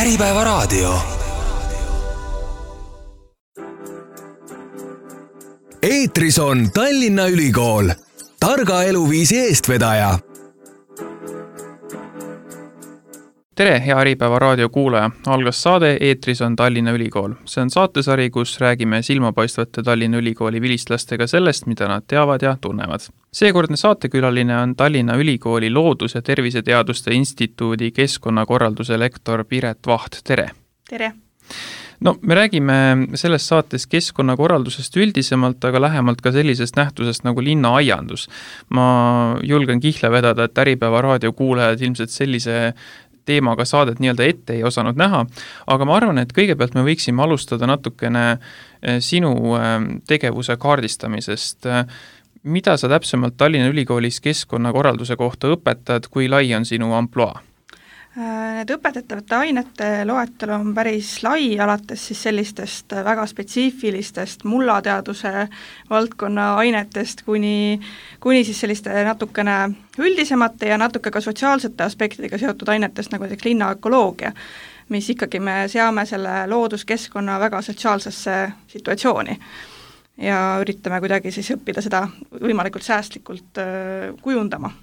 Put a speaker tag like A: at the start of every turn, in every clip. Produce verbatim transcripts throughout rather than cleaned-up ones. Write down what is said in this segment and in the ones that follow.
A: Äripäevaraadio. Eetris on Tallinna Ülikool, targa eluviisi eestvedaja.
B: Tere, hea Äripäevaraadio kuulaja. Algas saade Eetris on Tallinna Ülikool. See on saatesari, kus räägime silmapaistvate Tallinna Ülikooli vilistlastega sellest, mida nad teavad ja tunnevad. Seekordne saatekülaline on Tallinna Ülikooli Loodus- ja Terviseteaduste Instituudi keskkonnakorralduse lektor Piret Vaht. Tere!
C: Tere!
B: No, me räägime selles saates keskkonnakorraldusest üldisemalt, aga lähemalt ka sellisest nähtusest nagu linnaaiandus. Ma julgen kihla vedada, et Äripäevaraadio kuulajad ilmselt sellise teemaga saadet nii-öelda ette ei osanud näha, aga ma arvan, et kõigepealt me võiksime alustada natukene sinu tegevuse kaardistamisest. Mida sa täpsemalt Tallinna Ülikoolis keskkonnakorralduse kohta õpetad, kui lai on sinu amploa?
C: Need õpetatavate ainete loetelu on päris lai, alates siis sellistest väga spetsiifilistest mullateaduse valdkonna ainetest kuni, kuni siis selliste natukene üldisemate ja natuke ka sotsiaalsete aspektidega seotud ainetest, nagu näiteks linnaökoloogia, mis ikkagi me seame selle looduskeskkonna väga sotsiaalsesse situatsiooni ja üritame kuidagi siis õppida seda võimalikult säästlikult kujundama.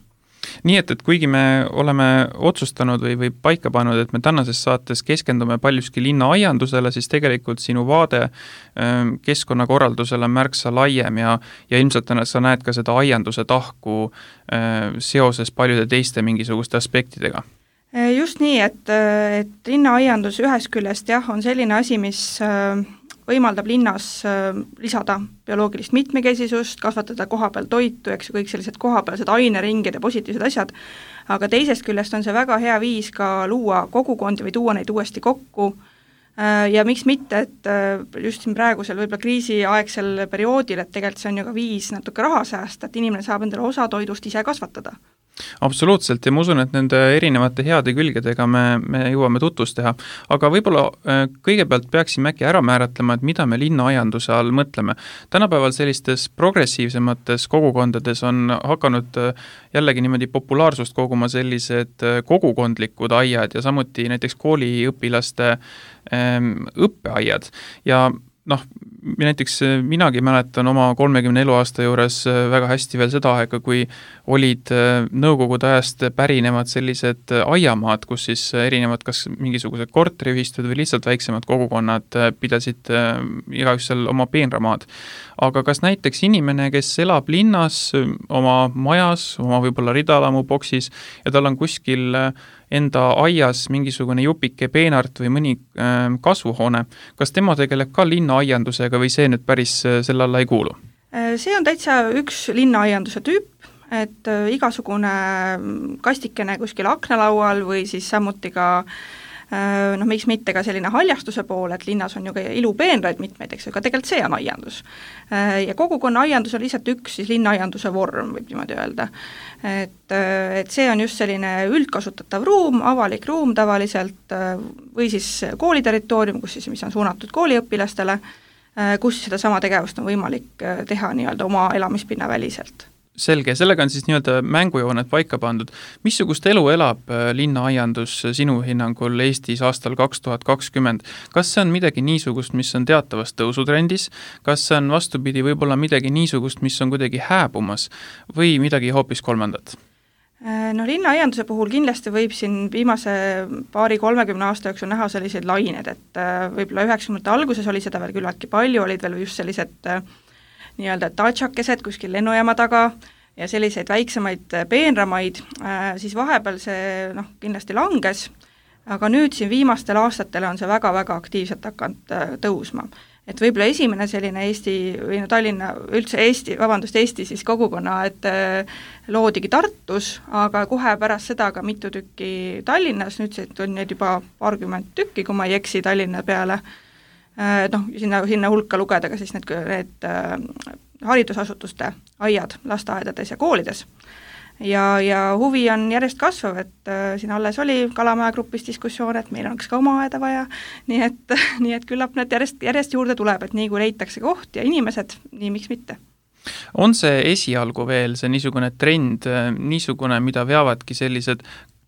B: Nii et, et kuigi me oleme otsustanud või, või paika pannud, et me tänases saates keskendume paljuski linnaaiandusele, siis tegelikult sinu vaade keskkonnakorraldusele on märksa laiem ja, ja ilmselt sa näed ka seda aianduse tahku seoses paljude teiste mingisuguste aspektidega.
C: Just nii, et, et linnaaiandus ühest küljest jah, on selline asi, mis võimaldab linnas lisada bioloogilist mitmekesisust, kasvatada kohapeal toitu, eks ju, kõik sellised kohapealsed aineringid ja positiivsed asjad, aga teisest küljest on see väga hea viis ka luua kogukondi või tuua neid uuesti kokku ja miks mitte, et just siin praegusel võib-olla kriisiaegsel perioodil, et tegelikult see on ju ka viis natuke raha säästa, et inimene saab endale osa toidust ise kasvatada.
B: Absoluutselt ja ma usun, et nende erinevate heade külgedega me, me jõuame tutvust teha, aga võib-olla kõigepealt peaksime äkki ära määratlema, et mida me linnaaianduse all mõtleme. Tänapäeval sellistes progressiivsemates kogukondades on hakanud jällegi niimoodi populaarsust koguma sellised kogukondlikud aiad ja samuti näiteks kooliõpilaste õppeaiad ja noh, näiteks minagi mäletan oma kolmekümne eluaasta juures väga hästi veel seda aega, kui olid nõukogude ajast pärinevad sellised aiamaad, kus siis erinevad kas mingisugused korteriühistud või lihtsalt väiksemad kogukonnad pidasid igaüks seal oma peenramaad. Aga kas näiteks inimene, kes elab linnas oma majas, oma võib-olla ridalamu boksis ja tal on kuskil enda aias mingisugune jupike peenart või mõni kasvuhoone, kas tema tegeleb ka linnaaiandusega või see nüüd päris selle alla ei kuulu?
C: See on täitsa üks linnaaianduse tüüp, et igasugune kastikene kuskil aknalaual või siis samuti ka noh, miks mitte ka selline haljastuse pool, et linnas on ju ka ilupeenraid mitmeid, eks, aga tegelikult see on aiandus. Ja kogukonna aiandus on lihtsalt üks siis linnaaianduse vorm, võib niimoodi öelda. Et, et see on just selline üldkasutatav ruum, avalik ruum tavaliselt või siis kooliterritoorium, kus siis, mis on suunatud kooliõpilastele, kus seda sama tegevust on võimalik teha nii-öelda oma elamispinna väliselt.
B: Selge, sellega on siis nii-öelda mängujooned paika pandud. Missugust elu elab linnaaiandus sinu hinnangul Eestis aastal kaks tuhat kakskümmend? Kas see on midagi niisugust, mis on teatavas tõusutrendis? Kas see on vastupidi võib-olla midagi niisugust, mis on kuidagi hääbumas või midagi hoopis kolmandat?
C: No linnaaianduse puhul kindlasti võib siin viimase paari kolmekümne aasta jooksul näha selliseid lained, et võib-olla üheksakümnendate alguses oli seda veel küllaltki palju, olid veel just sellised nii-öelda tatšakesed kuskil lennujaama taga ja selliseid väiksemaid peenramaid, siis vahepeal see noh, kindlasti langes, aga nüüd siin viimastel aastatel on see väga-väga aktiivselt hakanud tõusma. Et võib-olla esimene selline Eesti või no Tallinna, üldse Eesti, vabandust, Eesti siis kogukonna, et loodigi Tartus, aga kohe pärast seda ka mitu tükki Tallinnas, nüüd on need juba paarkümmend tükki, kui ma ei eksi Tallinna peale, noh, sinna, sinna hulka lugeda ka siis need, need äh, haridusasutuste aiad lasteaedades ja koolides. Ja, ja huvi on järjest kasvav, et äh, siin alles oli Kalamaja grupis diskussioon, et meil oleks ka oma aeda vaja, nii et, nii et küllap need järjest, järjest juurde tuleb, et nii kui leitakse koht ja inimesed, nii miks mitte.
B: On see esialgu veel see niisugune trend, niisugune, mida veavadki sellised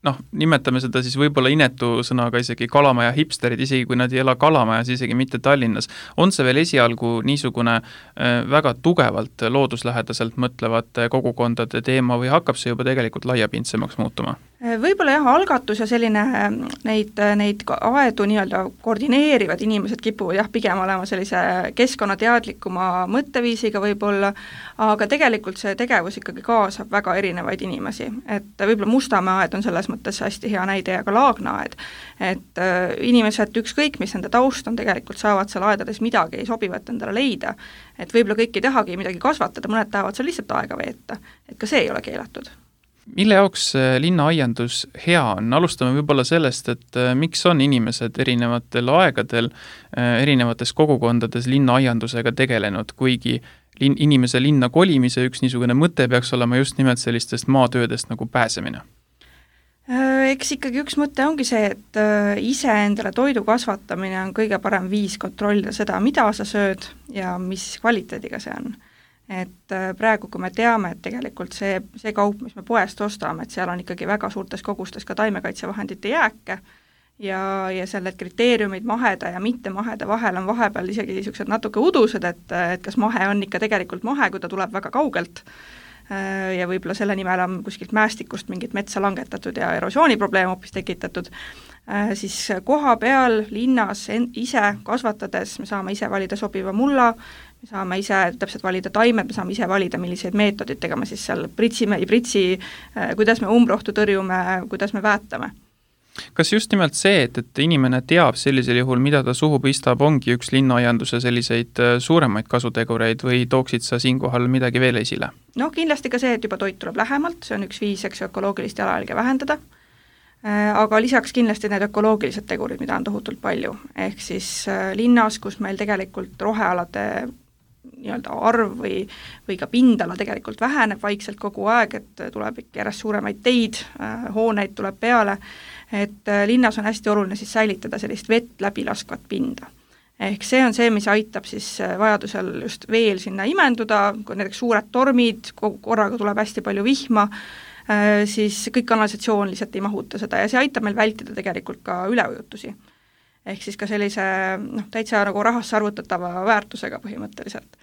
B: noh, nimetame seda siis võib-olla inetu sõnaga isegi kalamaja hipsterid, isegi kui nad ei ela Kalamajas, isegi mitte Tallinnas. On see veel esialgu niisugune väga tugevalt looduslähedaselt mõtlevate kogukondade teema või hakkab see juba tegelikult laiapindsemaks muutuma?
C: Võib-olla jah, algatus ja selline neid, neid aedu nii-öelda koordineerivad inimesed kipuvad jah, pigem olema sellise keskkonnateadlikuma mõtteviisiga võib-olla, aga tegelikult see tegevus ikkagi kaasab väga erinevaid inimesi, et võib-olla Mustamäe aed on selles mõttes hästi hea näide ja ka Laagna aed, et inimesed ükskõik, mis nende taust on, tegelikult saavad seal aedades midagi sobivat endale leida, et võib-olla kõik ei tahagi midagi kasvatada, mõned tahavad seal lihtsalt aega veeta, et ka see ei ole keelatud.
B: Mille jaoks linnaaiandus hea on? Alustame võib-olla sellest, et miks on inimesed erinevatel aegadel erinevates kogukondades linnaaiandusega tegelenud, kuigi lin, inimese linna kolimise üks niisugune mõte peaks olema just nimelt sellistest maatöödest nagu pääsemine?
C: Eks ikkagi üks mõte ongi see, et ise endale toidu kasvatamine on kõige parem viis kontrollida seda, mida sa sööd ja mis kvaliteediga see on. Et praegu, kui me teame, et tegelikult see, see kaup, mis me poest ostame, et seal on ikkagi väga suurtes kogustes ka taimekaitsevahendite jääke ja, ja selle kriteeriumid maheda ja mitte maheda vahel on vahepeal isegi niisugused natuke udused, et, et kas mahe on ikka tegelikult mahe, kui ta tuleb väga kaugelt ja võib-olla selle nimel on kuskilt mäestikust mingit metsa langetatud ja erosiooniprobleem hoopis tekitatud, siis koha peal linnas ise kasvatades me saame ise valida sobiva mulla, me saame ise täpselt valida taimed, me saame ise valida, milliseid meetoditega me siis seal pritsime, ei pritsi, kuidas me umbrohtu tõrjume, kuidas me väetame.
B: Kas just nimelt see, et, et inimene teab sellisel juhul, mida ta suhu pistab, ongi üks linnaaianduse selliseid suuremaid kasutegureid või tooksid sa siinkohal midagi veel esile?
C: Noh, kindlasti ka see, et juba toit tuleb lähemalt, see on üks viis, eks ökoloogilist jalajälge vähendada, aga lisaks kindlasti need ökoloogilised tegurid, mida on tohutult palju, ehk siis linnas, kus meil tegelikult rohealade nii-öelda arv või, või ka pindala tegelikult väheneb vaikselt kogu aeg, et tuleb ikka järjest suuremaid teid, hooneid tuleb peale, et linnas on hästi oluline siis säilitada sellist vett läbi laskvat pinda. Ehk see on see, mis aitab siis vajadusel just veel sinna imenduda, kui näiteks suured tormid, korraga tuleb hästi palju vihma, siis kõik kanalisatsioon lihtsalt ei mahuta seda ja see aitab meil vältida tegelikult ka üleujutusi. Ehk siis ka sellise noh, täitsa nagu rahasse arvutatava väärtusega põhimõtteliselt.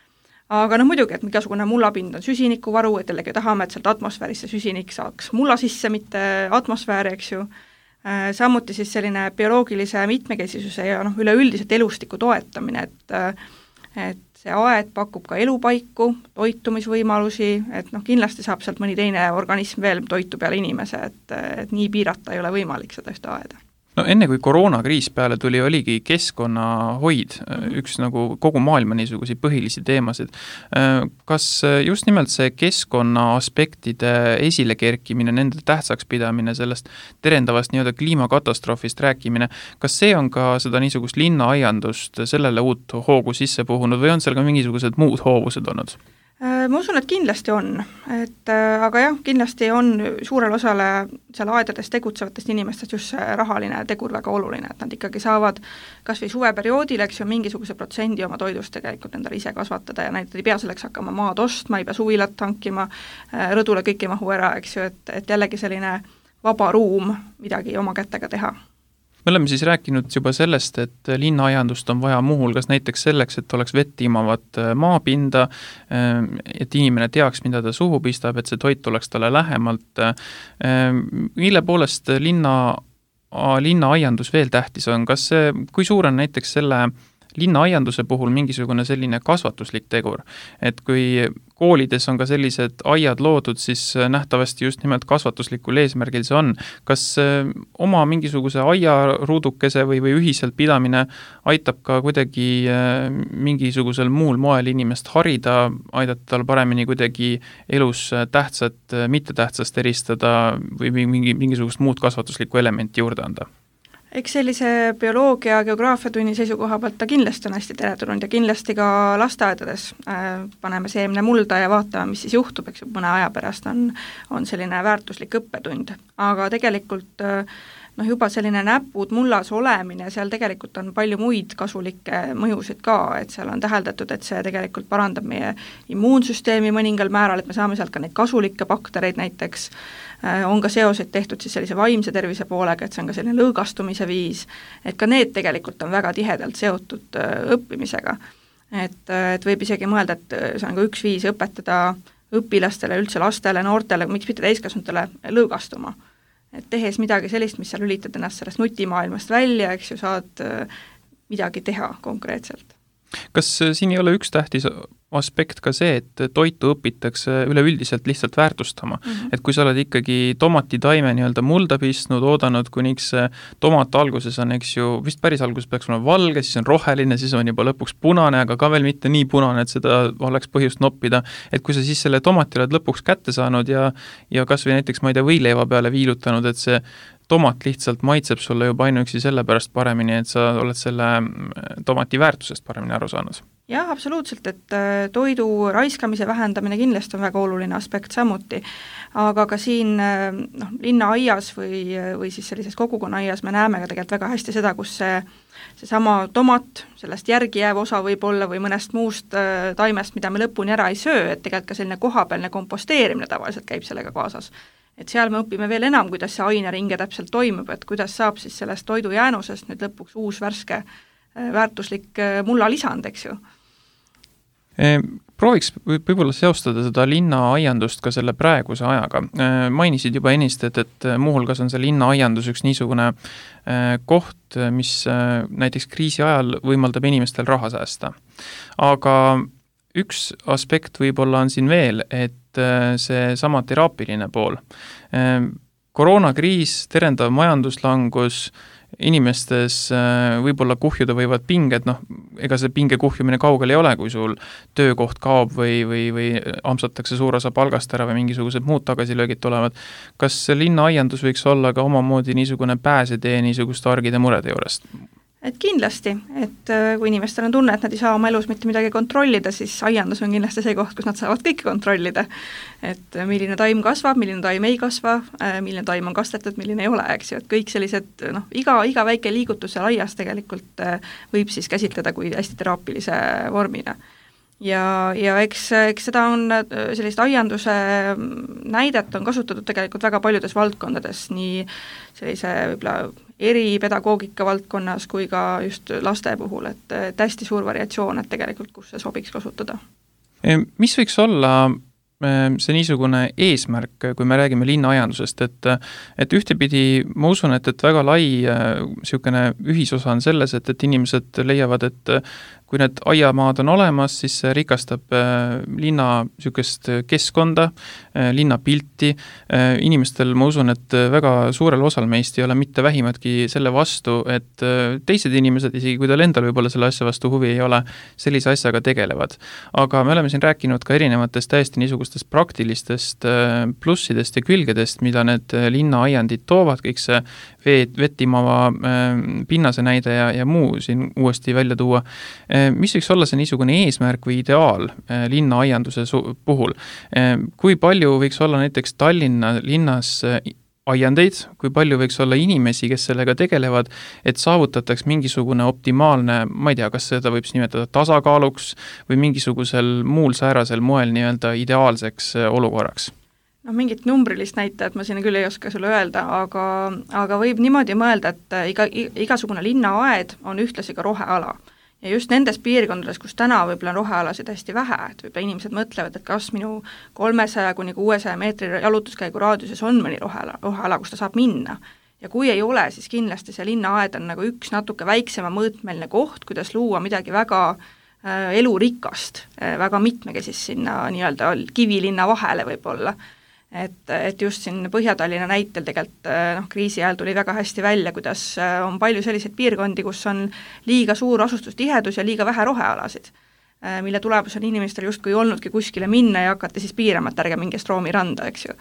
C: Aga no muidugi, et igasugune mullapind on süsinikuvaru, et jällegi tahame, et sealt atmosfäärisse süsinik saaks mulla sisse, mitte atmosfääri, eks ju. Samuti siis selline bioloogilise mitmekesisuse ja noh, üleüldiselt elustiku toetamine, et, et see aed pakub ka elupaiku, toitumisvõimalusi, et noh, kindlasti saab sealt mõni teine organism veel toitu peale inimese, et, et nii piirata ei ole võimalik seda ühte aeda.
B: No enne kui koroonakriis peale tuli, oligi keskkonnahoid, mm-hmm. üks nagu kogu maailma niisuguseid põhilisi teemasid. Kas just nimelt see keskkonna aspektide esile kerkimine, nende tähtsaks pidamine, sellest terendavast nii-öelda kliimakatastroofist rääkimine, kas see on ka seda niisugust linnaaiandust sellele uut hoogu sisse puhunud või on seal ka mingisugused muud hoovused olnud?
C: Ma usun, et kindlasti on, et aga jah, kindlasti on suurel osale seal aedades tegutsevatest inimestest just see rahaline tegur väga oluline, et nad ikkagi saavad kas või suveperioodil, eks ju, mingisuguse protsendi oma toidust tegelikult endale ise kasvatada ja näiteks ei pea selleks hakkama maad ostma, ei pea suvilat hankima, rõdule kõik ei mahu ära, eks ju, et, et jällegi selline vaba ruum midagi oma kätega teha.
B: Me oleme siis rääkinud juba sellest, et linnaaiandust on vaja muuhulgas näiteks selleks, et oleks vett imavat maapinda, et inimene teaks, mida ta suhu pistab, et see toit oleks talle lähemalt. Mille poolest linna, linnaaiandus veel tähtis on? Kas see, kui suur on näiteks selle linnaaianduse puhul mingisugune selline kasvatuslik tegur, et kui koolides on ka sellised aiad loodud, siis nähtavasti just nimelt kasvatuslikul eesmärgil see on. Kas oma mingisuguse aiaruudukese või, või ühiselt pidamine aitab ka kuidagi mingisugusel muul moel inimest harida, aidata tal paremini kuidagi elus tähtsat, mitte tähtsast eristada või mingi, mingisugust muud kasvatuslikku elementi juurde anda?
C: Eks sellise bioloogia, geograafiatunni seisukoha pealt ta kindlasti on hästi teretulnud ja kindlasti ka lasteaedades äh, paneme seemne mulda ja vaatame, mis siis juhtub, eks mõne aja pärast on, on selline väärtuslik õppetund. Aga tegelikult äh, noh, juba selline näpud mullas olemine, seal tegelikult on palju muid kasulikke mõjusid ka, et seal on täheldatud, et see tegelikult parandab meie immuunsüsteemi mõningal määral, et me saame sealt ka neid kasulikke baktereid näiteks, on ka seoseid tehtud siis sellise vaimse tervise poolega, et see on ka selline lõõgastumise viis, et ka need tegelikult on väga tihedalt seotud õppimisega. Et, et võib isegi mõelda, et see on ka üks viis õpetada õpilastele, üldse lastele, noortele, miks mitte täiskasvanutele lõõgastuma. Et tehes midagi sellist, mis seal lülitad ennast sellest nutimaailmast välja, eks ju, saad midagi teha konkreetselt.
B: Kas siin ei ole üks tähtis aspekt ka see, et toitu õpitakse üleüldiselt lihtsalt väärtustama, mm -hmm. et kui sa oled ikkagi tomatitaime nii-öelda mulda pistnud, oodanud, kuniks tomat alguses on, eks ju, vist päris alguses peaks olema valge, siis on roheline, siis on juba lõpuks punane, aga ka veel mitte nii punane, et seda oleks põhjust noppida, et kui sa siis selle tomati oled lõpuks kätte saanud ja, ja kas või näiteks, ma ei tea, võileiva peale viilutanud, et see tomat lihtsalt maitseb sulle juba ainuüksi selle pärast paremini, et sa oled selle tomati väärtusest paremini aru saanud.
C: Jah, absoluutselt, et toidu raiskamise vähendamine kindlasti on väga oluline aspekt samuti, aga ka siin noh, linnaaias või, või siis sellises kogukonnaaias me näeme ka tegelikult väga hästi seda, kus see seesama tomat, sellest järgi jääv osa võib olla või mõnest muust taimest, mida me lõpuni ära ei söö, et tegelikult ka selline kohapealne komposteerimine tavaliselt käib sellega kaasas. Et seal me õpime veel enam, kuidas see aineringe täpselt toimub, et kuidas saab siis sellest toidujäänusest nüüd lõpuks uus värske väärtuslik mullalisand, eks ju.
B: Prooviks võib-olla seostada seda linnaaiandust ka selle praeguse ajaga. Mainisid juba ennist, et, et muuhulgas on see linnaaiandus üks niisugune koht, mis näiteks kriisi ajal võimaldab inimestel raha säästa. Aga üks aspekt võib-olla on siin veel, et see sama teraapiline pool. Koroonakriis, terendav majanduslangus, inimestes võib-olla kuhjuda võivad pinged, noh, ega see pinge kuhjumine kaugel ei ole, kui sul töökoht kaob või, või, või amsatakse suur osa palgast ära või mingisugused muud tagasilöögid tulevad. Kas linnaaiandus võiks olla ka omamoodi niisugune pääsetee niisuguste argide murede juurest?
C: Et kindlasti, et kui inimestel on tunne, et nad ei saa oma elus mitte midagi kontrollida, siis aiandus on kindlasti see koht, kus nad saavad kõike kontrollida. Et milline taim kasvab, milline taim ei kasva, milline taim on kastetud, milline ei ole, eks ju, et kõik sellised, noh, iga, iga väike liigutus seal aias tegelikult võib siis käsitleda kui hästi teraapilise vormina. Ja, ja eks, eks seda on sellist aianduse näidet on kasutatud tegelikult väga paljudes valdkondades, nii sellise võib-olla eripedagoogika valdkonnas kui ka just laste puhul, et, et hästi suur variatsioon, et tegelikult kus see sobiks kasutada.
B: Mis võiks olla see niisugune eesmärk, kui me räägime linnaaiandusest, et, et ühtepidi ma usun, et, et väga lai niisugune ühisosa on selles, et, et inimesed leiavad, et kui need aiamaad on olemas, siis see rikastab linna niisugust keskkonda, linna pilti. Inimestel ma usun, et väga suurel osal meist ei ole mitte vähimatki selle vastu, et teised inimesed, isegi kui tal endal võib-olla selle asja vastu huvi ei ole, sellise asjaga tegelevad. Aga me oleme siin rääkinud ka erinevatest täiesti niisugustest praktilistest plussidest ja külgedest, mida need linnaaiandid toovad, kõik see veet, vettimava pinnase näide ja, ja muu siin uuesti välja tuua. Mis võiks olla see niisugune eesmärk või ideaal linnaaianduse puhul? Kui palju võiks olla näiteks Tallinna linnas aiandeid, kui palju võiks olla inimesi, kes sellega tegelevad, et saavutataks mingisugune optimaalne, ma ei tea, kas seda võib nimetada tasakaaluks või mingisugusel muul säärasel moel nii-öelda ideaalseks olukorraks?
C: No mingit numbrilist näitajat ma siin küll ei oska sulle öelda, aga, aga võib niimoodi mõelda, et iga, igasugune linnaaed on ühtlasi ka roheala. Ja just nendes piirkondades, kus täna võib-olla on rohealasid hästi vähe, et võib-olla inimesed mõtlevad, et kas minu kolmesaja kuni kuuesaja meetri jalutuskäigu raadiuses on mõni roheala, roheala, kus ta saab minna. Ja kui ei ole, siis kindlasti see linnaaed on nagu üks natuke väiksema mõõtmeline koht, kuidas luua midagi väga äh, elurikast, äh, väga mitmekesist sinna nii-öelda kivilinna vahele võib-olla. Et, et just siin Põhja-Tallinna näitel tegelikult noh, kriisi ajal tuli väga hästi välja, kuidas on palju selliseid piirkondi, kus on liiga suur asustustihedus ja liiga vähe rohealasid, mille tulemus on inimestel justkui olnudki kuskile minna ja hakata siis piirama, et ärge minge Stroomi randa, eks ju.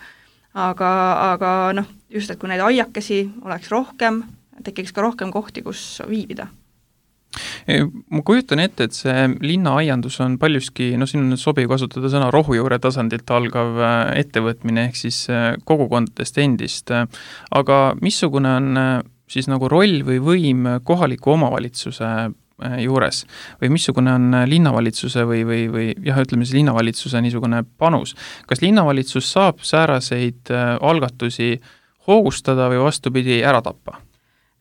C: Aga, aga noh, just, et kui neid aiakesi oleks rohkem, tekiks ka rohkem kohti, kus viibida.
B: Ma kujutan ette, et see linnaaiandus on paljuski, no siin on sobiv kasutada sõna rohujuure tasandilt algav ettevõtmine ehk siis kogukondadest endist. Aga missugune on siis nagu roll või võim kohaliku omavalitsuse juures või missugune on linnavalitsuse või, või, või jah, ütleme siis linnavalitsuse niisugune panus? Kas linnavalitsus saab sääraseid algatusi hoogustada või vastupidi ära tappa?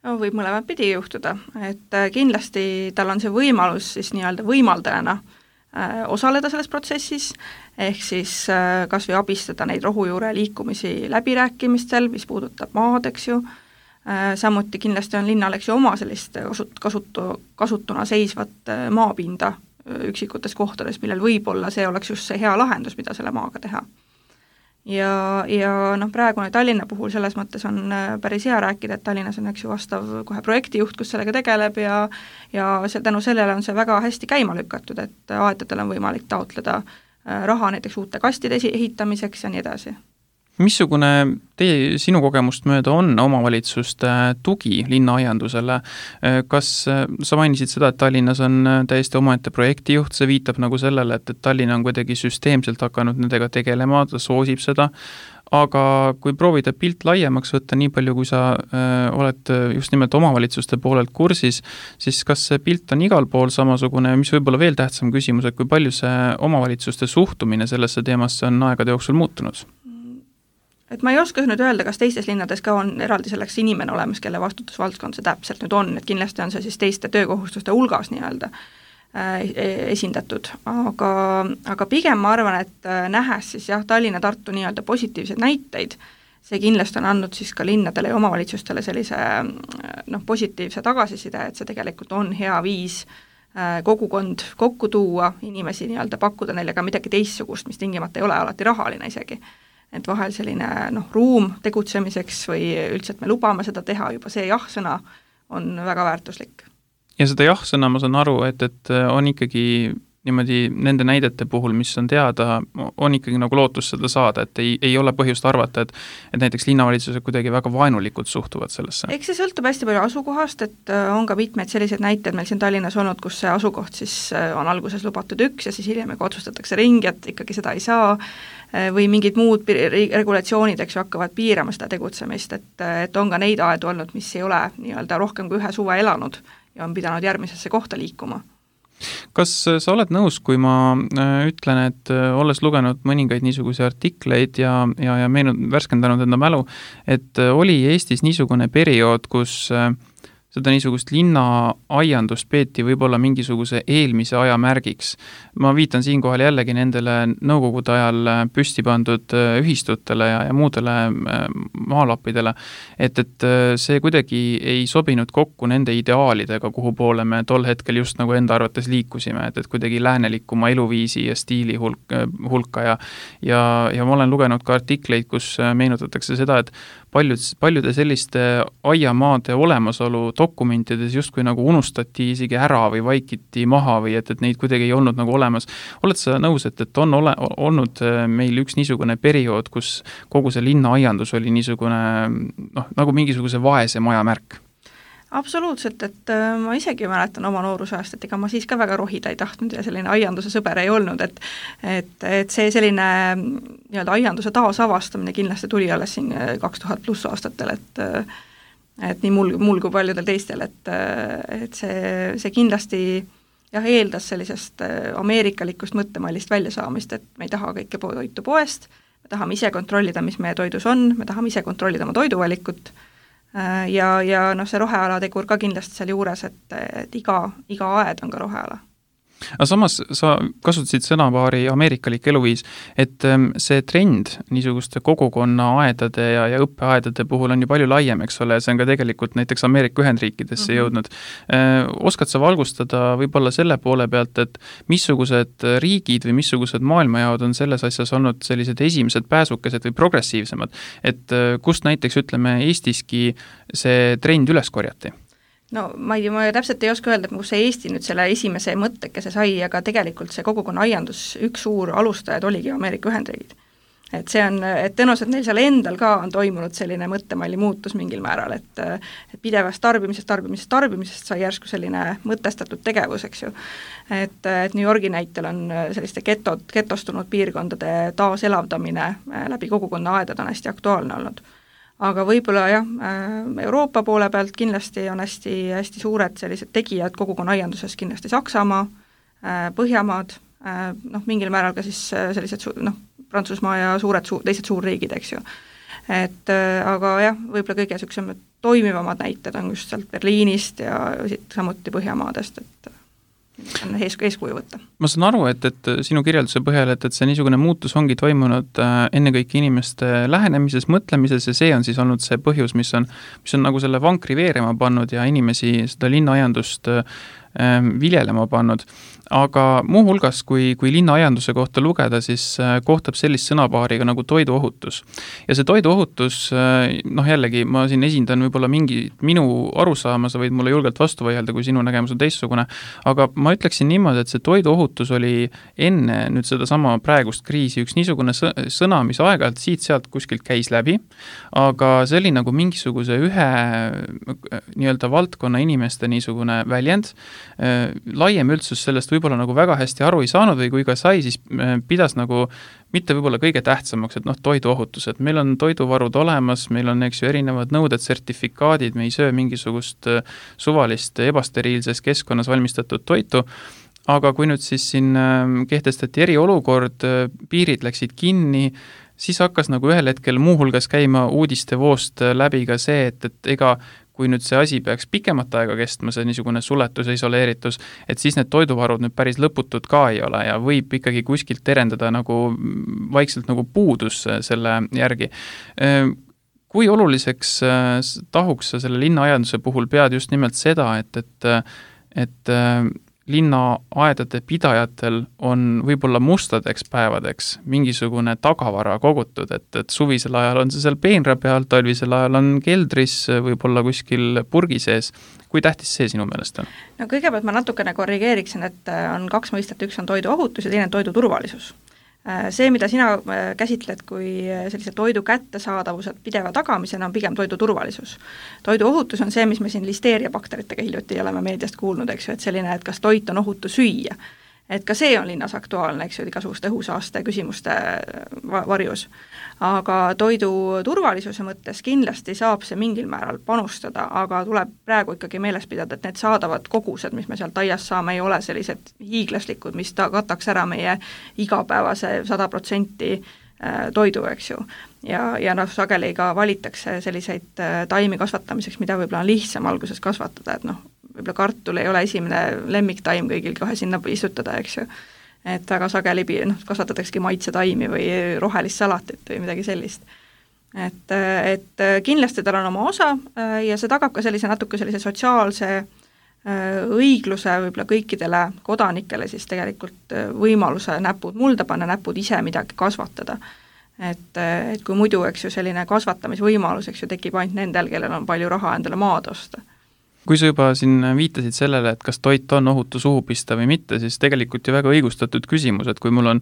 C: No, võib mõlemat pidi juhtuda, et kindlasti tal on see võimalus siis nii-öelda võimaldajana äh, osaleda selles protsessis, ehk siis äh, kas või abistada neid rohujuure liikumisi läbirääkimistel, mis puudutab maad, eks ju, äh, samuti kindlasti on linnal, eks ju, oma sellist kasut-, kasutu, kasutuna seisvat maapinda üksikutes kohtades, millel võib-olla see oleks just see hea lahendus, mida selle maaga teha. Ja, ja noh, praegune Tallinna puhul selles mõttes on päris hea rääkida, et Tallinnas on eks ju vastav kohe projektijuht, kus sellega tegeleb ja ja see, tänu sellele on see väga hästi käima lükatud, et aedadel on võimalik taotleda raha näiteks uute kastide ehitamiseks ja nii edasi.
B: Missugune teie, sinu kogemust mööda on omavalitsuste tugi linnaaiandusele? Kas sa mainisid seda, et Tallinnas on täiesti omaette projektijuht, see viitab nagu sellele, et, et Tallinna on kuidagi süsteemselt hakanud nendega tegelema, ta soosib seda, aga kui proovida pilt laiemaks võtta, nii palju kui sa äh, oled just nimelt omavalitsuste poolelt kursis, siis kas see pilt on igal pool samasugune, mis võib-olla veel tähtsam küsimus, et kui palju see omavalitsuste suhtumine sellesse teemasse on aegade jooksul muutunud?
C: Et ma ei oska nüüd öelda, kas teistes linnades ka on eraldi selleks inimene olemas, kelle vastutusvaldkond see täpselt nüüd on, et kindlasti on see siis teiste töökohustuste hulgas nii-öelda esindatud, aga, aga pigem ma arvan, et nähes siis jah, Tallinna, Tartu nii-öelda positiivseid näiteid, see kindlasti on andnud siis ka linnadele ja omavalitsustele sellise noh, positiivse tagasiside, et see tegelikult on hea viis kogukond kokku tuua, inimesi nii-öelda pakkuda neile ka midagi teistsugust, mis tingimata ei ole alati rahaline isegi. Et vahel selline noh, ruum tegutsemiseks või üldse, et me lubame seda teha, juba see jah-sõna on väga väärtuslik.
B: Ja seda jah-sõna ma saan aru, et, et on ikkagi niimoodi nende näidete puhul, mis on teada, on ikkagi nagu lootus seda saada, et ei, ei ole põhjust arvata, et, et näiteks linnavalitsused kuidagi väga vaenulikult suhtuvad sellesse.
C: Eks see sõltub hästi palju asukohast, et on ka mitmeid selliseid näiteid meil siin Tallinnas olnud, kus see asukoht siis on alguses lubatud üks ja siis hiljem otsustatakse ringi, et ikkagi seda ei saa või mingid muud regulatsioonid, eks ju, hakkavad piirama seda tegutsemist, et, et on ka neid aedu olnud, mis ei ole nii-öelda rohkem kui ühe suve elanud ja on pidanud järgmisesse kohta liikuma.
B: Kas sa oled nõus, kui ma ütlen, et olles lugenud mõningaid niisuguse artikleid ja, ja, ja meenu, värskendanud enda mälu, et oli Eestis niisugune periood, kus seda niisugust linnaaiandust peeti võib-olla mingisuguse eelmise aja märgiks. Ma viitan siinkohal jällegi nendele nõukogude ajal püsti pandud ühistutele ja, ja muudele maalappidele, et, et see kuidagi ei sobinud kokku nende ideaalidega, kuhu poole me tol hetkel just nagu enda arvates liikusime, et, et kuidagi läänelikuma eluviisi ja stiili hulk, hulka ja, ja, ja ma olen lugenud ka artikleid, kus meenutatakse seda, et paljud, paljude selliste aiamaade olemasolu dokumentides justkui nagu unustati isegi ära või vaikiti maha või et, et neid kuidagi ei olnud nagu olemas. Oled sa nõus, et, et on ole, olnud meil üks niisugune periood, kus kogu see linnaaiandus oli niisugune noh, nagu mingisuguse vaese maja märk?
C: Absoluutselt, et ma isegi mäletan oma noorusajast, et ega ma siis ka väga rohida ei tahtnud ja selline aianduse sõber ei olnud, et et, et see selline nii-öelda aianduse taasavastamine kindlasti tuli alles siin kaks tuhat pluss aastatel, et et nii mul, mul kui paljudel teistel, et, et see, see kindlasti jah, eeldas sellisest ameerikalikust mõttemallist väljasaamist, et me ei taha kõike toitu poest, me tahame ise kontrollida, mis meie toidus on, me tahame ise kontrollida oma toiduvalikut, ja, ja noh, see roheala tegur ka kindlasti seal juures, et, et iga, iga aed on ka roheala.
B: Aga samas sa kasutasid sõnapaari ameerikalik eluviis, et see trend niisuguste kogukonna aedade ja, ja õppeaedade puhul on ju palju laiem, eks ole, see on ka tegelikult näiteks Ameerika Ühendriikidesse mm-hmm. jõudnud. Oskad sa valgustada võib-olla selle poole pealt, et missugused riigid või missugused maailmajaod on selles asjas olnud sellised esimesed pääsukesed või progressiivsemad, et kust näiteks ütleme Eestiski see trend üles korjati?
C: No ma ei, ma täpselt ei oska öelda, et kus see Eesti nüüd selle esimese mõttekese sai, aga tegelikult see kogukonna aiandus, üks suur alustajad oligi Ameerika Ühendriigid. et see on, et tõenäoliselt neil seal endal ka on toimunud selline mõttemalli muutus mingil määral, et et pidevast tarbimisest, tarbimisest, tarbimisest sai järsku selline mõtestatud tegevus, eks ju. Et, et New Yorgi näitel on selliste getod, getostunud piirkondade taaselavdamine läbi kogukonna aedade on hästi aktuaalne olnud. Aga võib-olla jah, Euroopa poole pealt kindlasti on hästi, hästi suured sellised tegijad kogukonna aianduses, kindlasti Saksamaa, Põhjamaad, noh, mingil määral ka siis sellised noh, Prantsusmaa ja suured, su- teised suurriigid, eks ju. Et aga jah, võib-olla kõige niisugused toimivamad näited on just sealt Berliinist ja siit samuti Põhjamaadest, et on ees, eeskuju võtta.
B: Ma saan aru, et, et sinu kirjelduse põhjal, et, et see niisugune muutus ongi toimunud ennekõike inimeste lähenemises, mõtlemises ja see on siis olnud see põhjus, mis on, mis on nagu selle vankri veerema pannud ja inimesi seda linnaaiandust viljelema pannud. Aga muuhulgas, kui, kui linnaaianduse kohta lugeda, siis kohtab sellist sõnapaariga nagu toiduohutus. Ja see toiduohutus, noh jällegi, ma siin esindan võib-olla mingi minu arusaama, sa võid mulle julgelt vastu vaielda, kui sinu nägemus on teistsugune, aga ma ütleksin niimoodi, et see toiduohutus oli enne nüüd seda sama praegust kriisi üks niisugune sõna, mis aeg-ajalt siit-sealt kuskilt käis läbi, aga see oli nagu mingisuguse ühe nii-öelda valdkonna inimeste niisugune väljend, laiem üldsus sellest võib-olla nagu väga hästi aru ei saanud või kui ka sai, siis pidas nagu mitte võib-olla kõige tähtsamaks, et noh, toiduohutus, et meil on toiduvarud olemas, meil on, eks ju, erinevad nõuded, sertifikaadid, me ei söö mingisugust suvalist ebasteriilses keskkonnas valmistatud toitu, aga kui nüüd siis siin kehtestati eriolukord, piirid läksid kinni, siis hakkas nagu ühel hetkel muuhulgas käima uudiste voost läbi ka see, et, et ega kui nüüd see asi peaks pikemat aega kestma, see niisugune suletus ja isoleeritus, et siis need toiduvarud nüüd päris lõputud ka ei ole ja võib ikkagi kuskilt terendada nagu vaikselt nagu puudus selle järgi. Kui oluliseks tahuks sa selle linnaaianduse puhul pead just nimelt seda, et, et, et linnaaedade pidajatel on võib-olla mustadeks päevadeks mingisugune tagavara kogutud, et, et suvisel ajal on see seal peenra peal, talvisel ajal on keldris, võib-olla kuskil purgi sees. Kui tähtis see sinu meelest on?
C: No kõigepealt ma natukene korrigeeriksin, et on kaks mõistet, üks on toiduohutus ja teine on toidu turvalisus. See, mida sina käsitled kui sellise toidu kättesaadavused pideva tagamisena, on pigem toidu turvalisus. Toiduohutus on see, mis me siin listeeriabakteritega hiljuti oleme meediast kuulnud, eks ju, et selline, et kas toit on ohutu süüa. Et ka see on linnas aktuaalne, eks ju, igasuguste õhusaaste küsimuste varjus. Aga toidu turvalisuse mõttes kindlasti saab see mingil määral panustada, aga tuleb praegu ikkagi meeles pidada, et need saadavad kogused, mis me sealt aias saame, ei ole sellised hiiglaslikud, mis ta kataks ära meie igapäevase sada protsenti toidu, eks ju. Ja, ja noh, sageli ka valitakse selliseid taimi kasvatamiseks, mida võib-olla on lihtsam alguses kasvatada, et noh, võib-olla kartul ei ole esimene lemmiktaim kõigil kohe sinna istutada, eks ju. Et väga sageli noh, kasvatatakski maitsetaimi või rohelist salatit või midagi sellist. Et, et kindlasti tal on oma osa ja see tagab ka sellise natuke sellise sotsiaalse õigluse võib-olla kõikidele kodanikele siis tegelikult võimaluse näpud mulda panna, näpud ise midagi kasvatada. Et, et kui muidu, eks ju, selline kasvatamisvõimalus, eks ju, tekib ainult nendel, kellel on palju raha endale maad osta.
B: Kui sa juba siin viitasid sellele, et kas toit on ohutu suhu pista või mitte, siis tegelikult ju väga õigustatud küsimus, et kui mul on,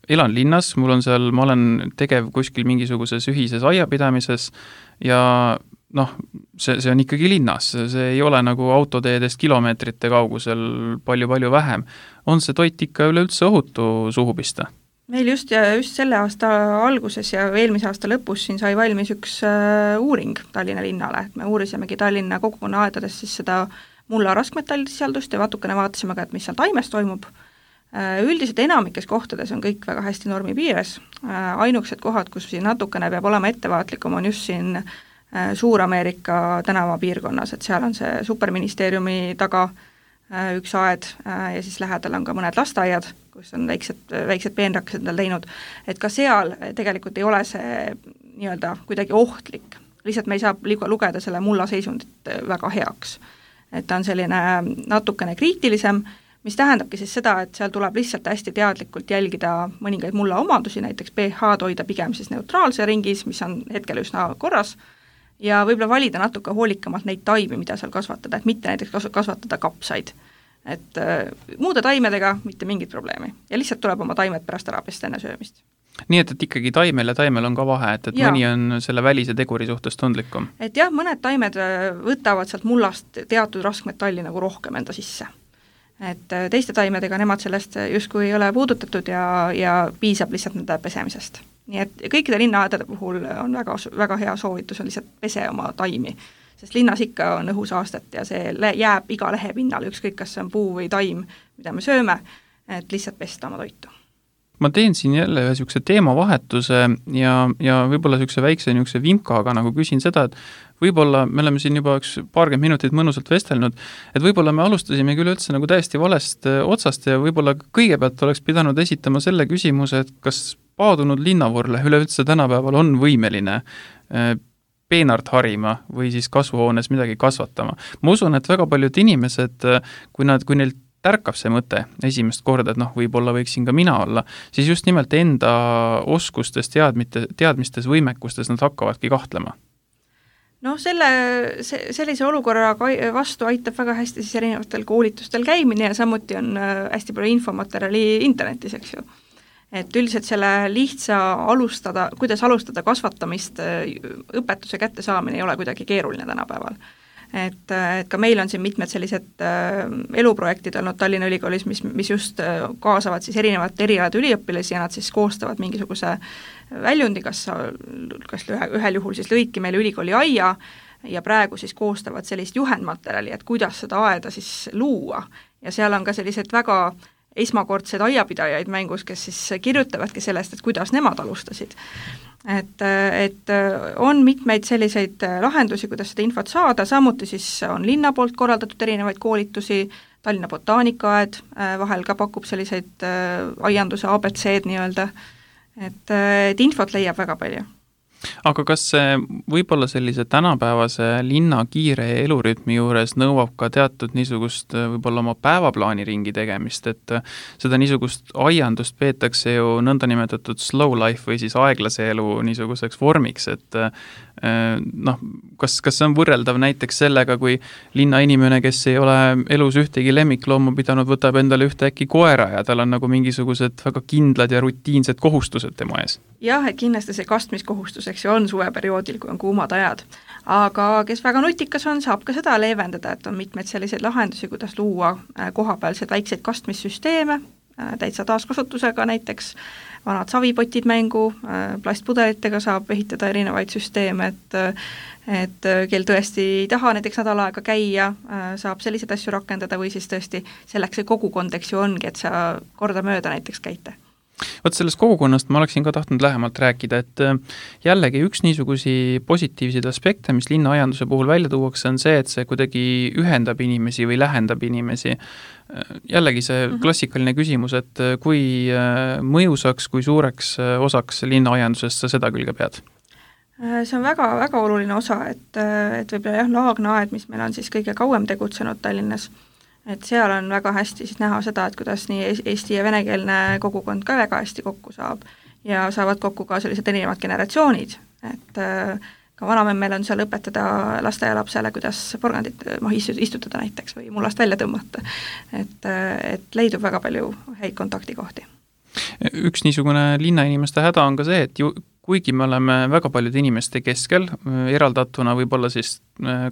B: elan linnas, mul on seal, ma olen tegev kuskil mingisuguses ühises aiapidamises ja noh, see, see on ikkagi linnas, see ei ole nagu autoteedest kilomeetrite kaugusel palju-palju vähem. On see toit ikka üleüldse ohutu suhu pista?
C: Meil just, ja just selle aasta alguses ja eelmise aasta lõpus siin sai valmis üks äh, uuring Tallinna linnale, et me uurisimegi Tallinna kogukonna aedades siis seda mulla raskmetallsisaldust ja vatukene vaatasime ka, et mis seal taimes toimub. Äh, üldiselt enamikes kohtades on kõik väga hästi normi piires, äh, ainukesed kohad, kus siin natukene peab olema ettevaatlikum, on just siin äh, Suur-Ameerika tänava piirkonnas, et seal on see superministeeriumi taga üks aed ja siis lähedal on ka mõned lasteaiad, kus on väiksed, väiksed peenrakesed endal teinud, et ka seal tegelikult ei ole see nii-öelda kuidagi ohtlik, lihtsalt me ei saa lugeda selle mulla seisundit väga heaks. Et ta on selline natukene kriitilisem, mis tähendabki siis seda, et seal tuleb lihtsalt hästi teadlikult jälgida mõningaid mulla omadusi, näiteks pH-d hoida pigem siis neutraalse ringis, mis on hetkel üsna korras, ja võib-olla valida natuke hoolikamalt neid taimi, mida seal kasvatada, et mitte näiteks kasvatada kapsaid. Et äh, muude taimedega mitte mingit probleemi. Ja lihtsalt tuleb oma taimed pärast ära pesta enne söömist.
B: nii et, et ikkagi taimel ja taimel on ka vahe, et, et ja. mõni on selle välise teguri suhtes tundlikum.
C: Et jah, mõned taimed võtavad sealt mullast teatud raskmetalli nagu rohkem enda sisse. Et teiste taimedega nemad sellest justkui ei ole puudutatud ja, ja piisab lihtsalt nende pesemisest. Nii et kõikide linnaaedade puhul on väga, väga hea soovitus on lihtsalt pese oma taimi, sest linnas ikka on õhusaastet ja see jääb iga lehe pinnal, ükskõik kas see on puu või taim, mida me sööme, et lihtsalt pesta oma toitu.
B: Ma teen siin jälle ühe niisuguse teemavahetuse ja, ja võib-olla niisuguse väikse niisuguse vimkaga nagu küsin seda, et võib-olla me oleme siin juba üks paarkümmend minutit mõnusalt vestelnud, et võib-olla me alustasime küll üldse nagu täiesti valest otsast ja võib-olla kõigepealt oleks pidanud esitama selle küsimuse, et kas paadunud linnavurle üleüldse tänapäeval on võimeline peenart harima või siis kasvuhoones midagi kasvatama. Ma usun, et väga paljud inimesed, kui nad, kui neil tärkab see mõte esimest korda, et noh, võib-olla võiksin ka mina olla, siis just nimelt enda oskustes, teadmite, teadmistes, võimekustes nad hakkavadki kahtlema.
C: No selle, see, sellise olukorra vastu aitab väga hästi siis erinevatel koolitustel käimine ja samuti on hästi palju infomaterjali internetis, eks ju. Et üldiselt selle lihtsa alustada, kuidas alustada kasvatamist, õpetuse kätte saamine ei ole kuidagi keeruline tänapäeval. Et, et ka meil on siin mitmed sellised äh, eluprojektid olnud Tallinna Ülikoolis, mis, mis just äh, kaasavad siis erinevad erialad üliõpilasi ja nad siis koostavad mingisuguse väljundi, kas, kas ühe, ühel juhul siis lõiki meile ülikooli aia ja praegu siis koostavad sellist juhendmaterjali, et kuidas seda aeda siis luua ja seal on ka sellised väga esmakordsed aiapidajaid mängus, kes siis kirjutavadki sellest, et kuidas nemad alustasid. Et, et on mitmeid selliseid lahendusi, kuidas seda infot saada, samuti siis on linna poolt korraldatud erinevaid koolitusi, Tallinna botaanikaaed vahel ka pakub selliseid aianduse A B C-d nii-öelda, et, et infot leiab väga palju.
B: Aga kas see võib-olla sellise tänapäevase linna kiire elurütmi juures nõuab ka teatud niisugust võib-olla oma päevaplaani ringi tegemist, et seda niisugust aiandust peetakse ju nõnda nimetatud slow life või siis aeglase elu niisuguseks vormiks, et noh, kas, kas see on võrreldav näiteks sellega, kui linna inimene, kes ei ole elus ühtegi lemmikloomu pidanud, võtab endale ühte äkki koera ja tal on nagu mingisugused väga kindlad ja rutiinsed kohustused tema ees?
C: Jah, et kindlasti see kastmiskohustus, eks ju, on suveperioodil, kui on kuumad ajad. Aga kes väga nutikas on, saab ka seda leevendada, et on mitmeid selliseid lahendusi, kuidas luua kohapealseid väikseid kastmissüsteeme, täitsa taaskasutusega näiteks, vanad savipotid mängu, plastpudelitega saab ehitada erinevaid süsteeme, et, et kel tõesti ei taha näiteks nädal aega käia, saab selliseid asju rakendada või siis tõesti selleks see kogukond, eks ju ongi, et sa korda mööda näiteks käite.
B: Vot sellest kogukonnast ma oleksin ka tahtnud lähemalt rääkida, et jällegi üks niisugusi positiivseid aspekte, mis linnaaianduse puhul välja tuuakse, on see, et see kuidagi ühendab inimesi või lähendab inimesi. Jällegi see klassikaline küsimus, et kui mõjusaks, kui suureks osaks linnaaiandusest sa seda külge pead?
C: See on väga, väga oluline osa, et, et võib-olla jah, Laagna-aed, mis meil on siis kõige kauem tegutsenud Tallinnas, et seal on väga hästi siis näha seda, et kuidas nii eesti- ja venekeelne kogukond ka väga hästi kokku saab ja saavad kokku ka sellised erinevad generatsioonid, et ka vanamemmel on seal õpetada lasteaialapsele, kuidas porgandit maha istutada näiteks või mullast välja tõmmata, et, et leidub väga palju häid kontaktikohti.
B: Üks niisugune linnainimeste häda on ka see, et ju kuigi me oleme väga paljude inimeste keskel, eraldatuna võib-olla siis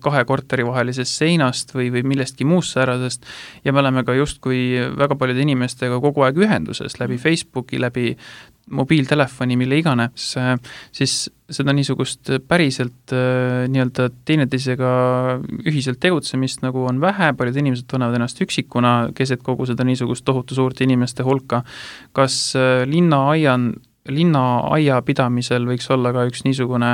B: kahe korteri vahelisest seinast või, või millestki muust säärasest, ja me oleme ka justkui väga paljude inimestega kogu aeg ühenduses läbi Facebooki, läbi mobiiltelefoni, mille iganes, siis seda niisugust päriselt nii-öelda teineteisega ühiselt tegutsemist nagu on vähe, paljud inimesed tunnevad ennast üksikuna keset kogu seda niisugust tohutu suurte inimeste hulka. Kas linnaaian linna aia pidamisel võiks olla ka üks niisugune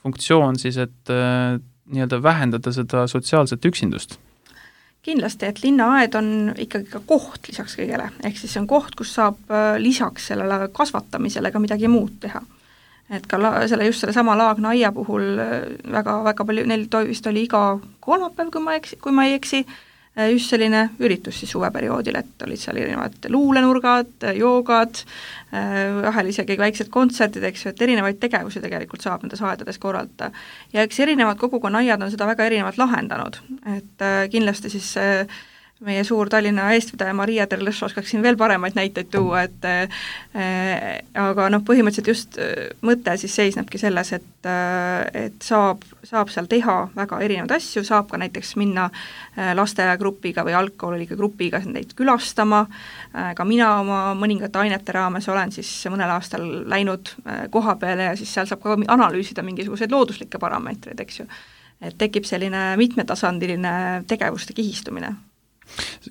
B: funktsioon siis, et äh, nii-öelda vähendada seda sotsiaalset üksindust?
C: Kindlasti, et linnaaed on ikkagi ka koht lisaks kõigele, ehk siis see on koht, kus saab äh, lisaks sellele kasvatamisele ka midagi muud teha. Et ka la, selle, just selle sama Laagna aia puhul väga, väga palju, neil vist oli iga kolmapäev, kui ma, eksi, kui ma ei eksi, just selline üritus siis suveperioodil, et olid seal erinevad luulenurgad, joogad, vahel isegi väiksed kontserdid, eks ju, et erinevaid tegevusi tegelikult saab nendes aedades korraldada. Ja eks erinevad kogukonna aiad on seda väga erinevalt lahendanud, et kindlasti siis meie suur Tallinna eestvedaja Maria Terlõš oskaks siin veel paremaid näiteid tuua, et äh, aga noh, põhimõtteliselt just mõte siis seisnebki selles, et, et saab, saab seal teha väga erinevaid asju, saab ka näiteks minna lasteaiagrupiga või algkoolilike grupiga neid külastama, ka mina oma mõningate ainete raames olen siis mõnel aastal läinud koha peale ja siis seal saab ka analüüsida mingisuguseid looduslikke parameetreid, eks ju. Et tekib selline mitmetasandiline tegevuste kihistumine.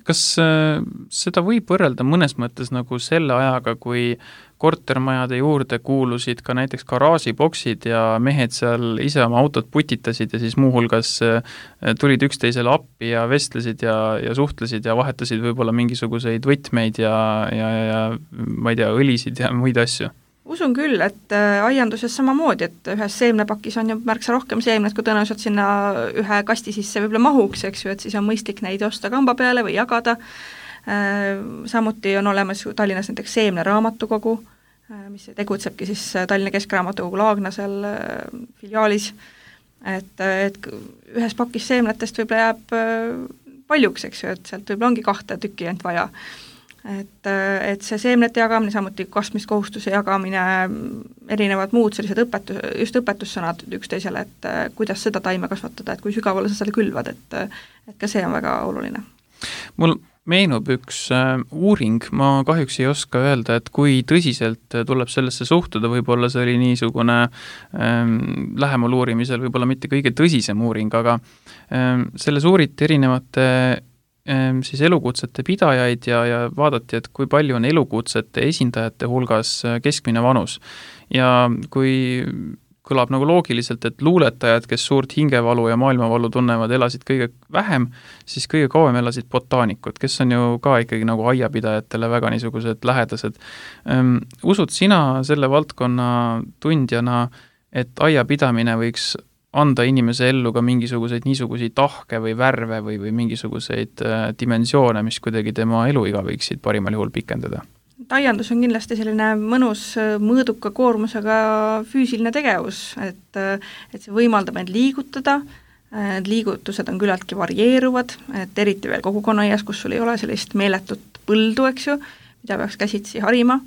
B: Kas äh, seda võib võrrelda mõnes mõttes nagu selle ajaga, kui kortermajade juurde kuulusid ka näiteks garaažiboksid ja mehed seal ise oma autot putitasid ja siis muuhulgas äh, tulid üksteisele appi ja vestlesid ja, ja suhtlesid ja vahetasid võib-olla mingisuguseid võtmeid ja, ja, ja ma ei tea, õlisid ja muid asju?
C: Usun küll, et aianduses samamoodi, et ühes seemnepakis on ju märksa rohkem seemnet, kui tõenäoliselt sinna ühe kasti sisse võib-olla mahuks, eks ju, et siis on mõistlik neid osta kamba peale või jagada. Samuti on olemas Tallinnas näiteks seemne raamatukogu, mis tegutsebki siis Tallinna Keskraamatukogu Laagna seal filiaalis, et, et ühes pakis seemnetest võib-olla jääb paljuks, eks ju, et sealt võib-olla ongi kahte tükki ainult vaja. Et, et see seemnete jagamine, samuti kastmiskohustuse jagamine, erinevad muud sellised õpetus, just õpetussõnad üksteisele, et kuidas seda taime kasvatada, et kui sügavale sa selle külvad, et, et ka see on väga oluline.
B: Mul meenub üks äh, uuring, ma kahjuks ei oska öelda, et kui tõsiselt tuleb sellesse suhtuda, võib-olla see oli niisugune ähm, lähemal uurimisel, võib-olla mitte kõige tõsisem uuring, aga ähm, selles uuriti erinevate siis elukutsete pidajaid ja, ja vaadati, et kui palju on elukutsete esindajate hulgas keskmine vanus. Ja kui kõlab nagu loogiliselt, et luuletajad, kes suurt hingevalu ja maailmavalu tunnevad, elasid kõige vähem, siis kõige kauem elasid botaanikud, kes on ju ka ikkagi nagu aiapidajatele väga niisugused lähedased. Ähm, usud sina selle valdkonna tundjana, et aiapidamine võiks anda inimese ellu ka mingisuguseid niisuguseid tahke või värve või, või mingisuguseid äh, dimensioone, mis kuidagi tema eluiga võiksid parimal juhul pikendada?
C: Aiandus on kindlasti selline mõnus mõõduka koormusega füüsiline tegevus, et, et see võimaldab end liigutada, need liigutused on küllaltki varieeruvad, et eriti veel kogukonnaaias, kus sul ei ole sellist meeletut põldu, eks ju, mida peaks käsitsi harima,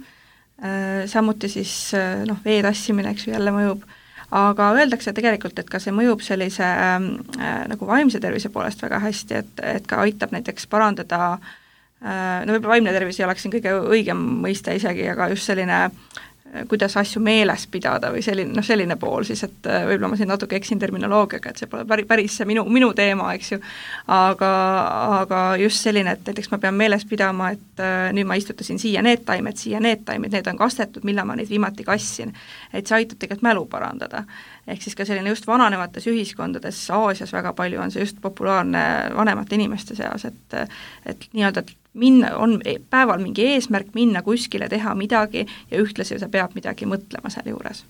C: samuti siis noh, vee tassimine, eks ju, jälle mõjub. Aga öeldakse tegelikult, et ka see mõjub sellise äh, nagu vaimse tervise poolest väga hästi, et, et ka aitab näiteks parandada, äh, no võib-olla vaimne tervis ei oleks siin kõige õigem mõiste isegi, aga just selline, kuidas asju meeles pidada või selline, noh selline pool siis, et võib-olla ma siin natuke eksin terminoloogiaga, et see pole päris, päris see minu, minu teema, eks ju, aga, aga just selline, et näiteks ma pean meeles pidama, et nüüd ma istutasin siia need taimed, siia need taimed, need on kastetud, millal ma neid viimati kassin, et see aitab tegelikult mälu parandada. Ehk siis ka selline just vananevates ühiskondades, Aasias väga palju on see just populaarne vanemate inimeste seas, et, et nii-öelda minna, on päeval mingi eesmärk minna kuskile, teha midagi ja ühtlasi sa peab midagi mõtlema seal juures.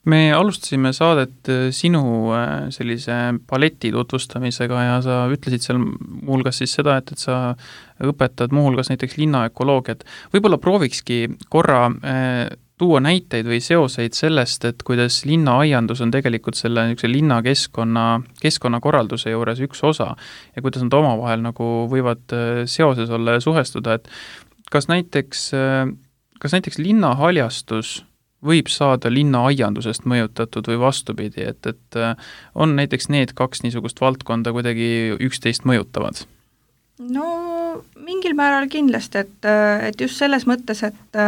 B: Me alustasime saadet sinu sellise paleti tutvustamisega ja sa ütlesid seal muuhulgas siis seda, et, et sa õpetad muuhulgas näiteks linnaökoloogiat. Võib-olla proovikski korra tuua näiteid või seoseid sellest, et kuidas linnaaiandus on tegelikult selle linnakeskkonna, keskkonnakorralduse juures üks osa ja kuidas nad omavahel nagu võivad seoses olla ja suhestuda, et kas näiteks, kas näiteks linnahaljastus võib saada linnaaiandusest mõjutatud või vastupidi, et, et on näiteks need kaks niisugust valdkonda kuidagi üksteist mõjutavad?
C: No mingil määral kindlasti, et, et just selles mõttes, et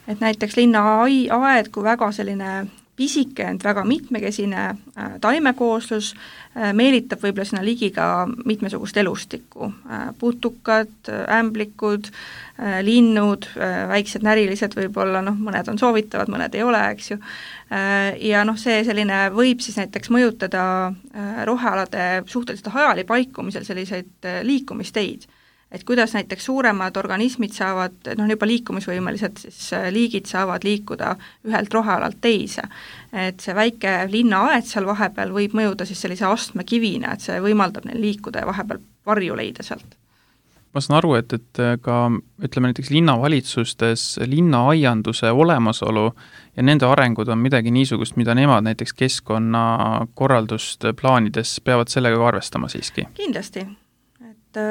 C: et näiteks linnaaed kui väga selline pisike, ent väga mitmekesine äh, taimekooslus äh, meelitab võib-olla sinna ligi ka mitmesugust elustikku. Äh, putukad, ämblikud, äh, linnud, äh, väiksed närilised võib-olla, noh, mõned on soovitavad, mõned ei ole, eks ju. Äh, ja noh, see selline võib siis näiteks mõjutada äh, rohealade suhteliselt hajali paikumisel selliseid äh, liikumisteid. Et kuidas näiteks suuremad organismid saavad, noh juba liikumisvõimelised siis liigid saavad liikuda ühelt rohealalt teise. Et see väike linnaaed seal vahepeal võib mõjuda siis sellise astmekivina, et see võimaldab neil liikuda ja vahepeal varju leida sealt.
B: Ma saan aru, et, et ka ütleme näiteks linnavalitsustes linnaaianduse olemasolu ja nende arengud on midagi niisugust, mida nemad näiteks keskkonnakorraldust plaanides peavad sellega ka arvestama siiski?
C: Kindlasti. et,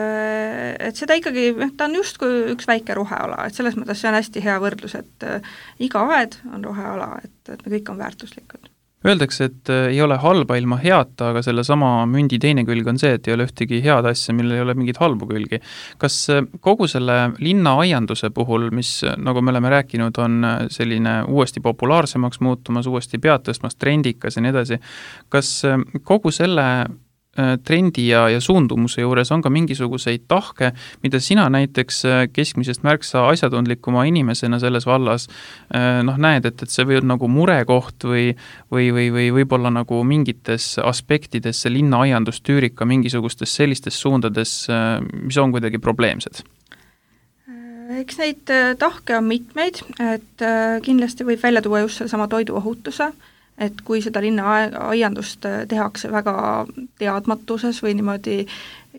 C: et seda ikkagi, ta on just kui üks väike roheala, et selles mõttes see on hästi hea võrdlus, et iga aed on roheala, et, et me kõik on väärtuslikud.
B: Öeldakse, et ei ole halba ilma heata, aga selle sama mündi teine külg on see, et ei ole ühtegi head asja, millel ei ole mingit halbu külgi. Kas kogu selle linnaaianduse puhul, mis, nagu me oleme rääkinud, on selline uuesti populaarsemaks muutumas, uuesti pead tõstmas, trendikas ja nii edasi, kas kogu selle trendi ja, ja suundumuse juures on ka mingisuguseid tahke, mida sina näiteks keskmisest märksa asjatundlikuma inimesena selles vallas noh, näed, et, et see või on nagu murekoht või, või, või, või võib-olla nagu mingites aspektides see linnaaiandus tüürib ka mingisugustes sellistes suundades, mis on kuidagi probleemsed?
C: Eks neid tahke on mitmeid, et kindlasti võib välja tuua just selle sama toiduohutuse, et kui seda linnaaiandust tehakse väga teadmatuses või niimoodi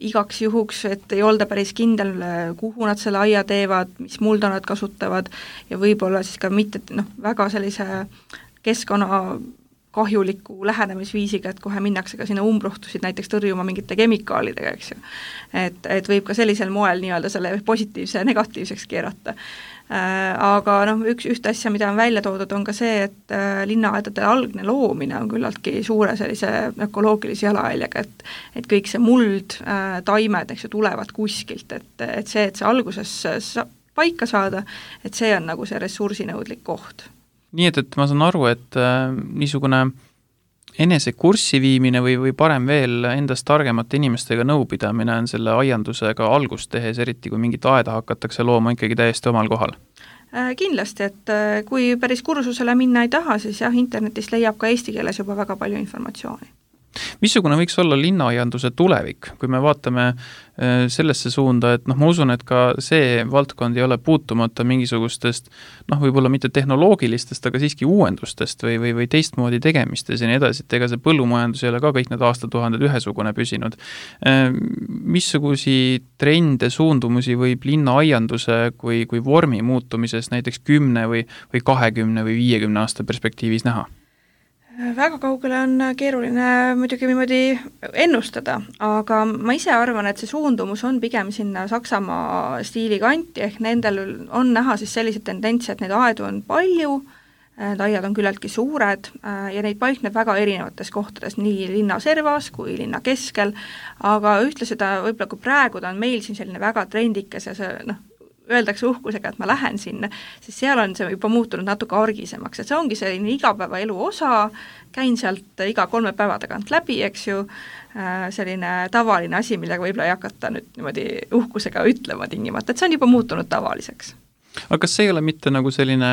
C: igaks juhuks, et ei olda päris kindel, kuhu nad selle aia teevad, mis mulda nad kasutavad ja võib-olla siis ka mitte noh, väga sellise keskkonna kahjuliku lähenemisviisiga, et kohe minnakse ka sinna umbruhtusid näiteks tõrjuma mingite kemikaalidega, eks ju. Et, et võib ka sellisel moel nii-öelda selle positiivse negatiivseks keerata. Aga noh, üks, üht asja, mida on välja toodud, on ka see, et linnaaedade algne loomine on küllaltki suure sellise ökoloogilise jalajäljega, et, et kõik see muld, taimed, eks ju, tulevad kuskilt, et, et see, et see alguses sa, paika saada, et see on nagu see ressursinõudlik koht.
B: Nii et, et ma saan aru, et äh, niisugune enese kurssi viimine või, või parem veel endast targemate inimestega nõupidamine on selle aiandusega algust tehes, eriti kui mingit aeda hakatakse looma ikkagi täiesti omal kohal?
C: Kindlasti, et kui päris kursusele minna ei taha, siis jah, internetist leiab ka eesti keeles juba väga palju informatsiooni.
B: Missugune võiks olla linnaaianduse tulevik, kui me vaatame sellesse suunda, et noh, ma usun, et ka see valdkond ei ole puutumata mingisugustest, noh, võib-olla mitte tehnoloogilistest, aga siiski uuendustest või, või, või teistmoodi tegemistes ja nii edasi, et ega see põllumajandus ei ole ka kõik need aastatuhanded ühesugune püsinud. Missugusi trende, suundumusi võib linnaaianduse kui, kui vormi muutumises näiteks kümne või, või kahekümne või viiekümne aasta perspektiivis näha?
C: Väga kaugele on keeruline muidugi niimoodi ennustada, aga ma ise arvan, et see suundumus on pigem sinna Saksamaa stiili kanti, ehk nendel on näha siis sellised tendentsi, et neid aedu on palju, need aiad on küllaltki suured ja neid paikneb väga erinevates kohtades, nii linna servas kui linna keskel, aga ühtlasi ta võib-olla kui praegu ta on meil siin selline väga trendikas ja see noh, öeldakse uhkusega, et ma lähen sinna, siis seal on see juba muutunud natuke argisemaks, et see ongi selline igapäevaelu osa, käin sealt iga kolme päeva tagant läbi, eks ju, selline tavaline asi, millega võib-olla ei hakata nüüd niimoodi uhkusega ütlema tingimata, et see on juba muutunud tavaliseks.
B: Aga kas see ei ole mitte nagu selline